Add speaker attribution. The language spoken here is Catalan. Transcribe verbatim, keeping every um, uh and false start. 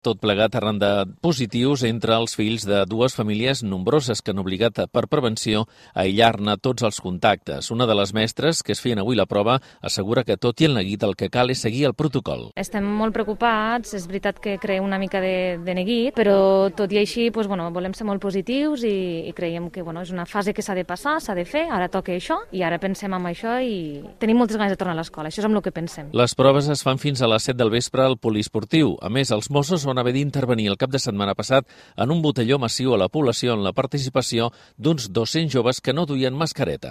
Speaker 1: Tot plegat arran de positius entre els fills de dues famílies nombroses que han obligat per prevenció a aïllar-ne tots els contactes. Una de les mestres que es feien avui la prova assegura que tot i el neguit el que cal és seguir el protocol.
Speaker 2: Estem molt preocupats, és veritat que crea una mica de, de neguit, però tot i així doncs, bueno, volem ser molt positius i, i creiem que bueno, és una fase que s'ha de passar, s'ha de fer, ara toca això i ara pensem en això i tenim moltes ganes de tornar a l'escola, això és amb el que pensem.
Speaker 1: Les proves es fan fins a les set del vespre al poliesportiu. A més, els Mossos van haver d'intervenir el cap de setmana passat en un botelló massiu a la població en la participació d'uns dos-cents joves que no duien mascareta.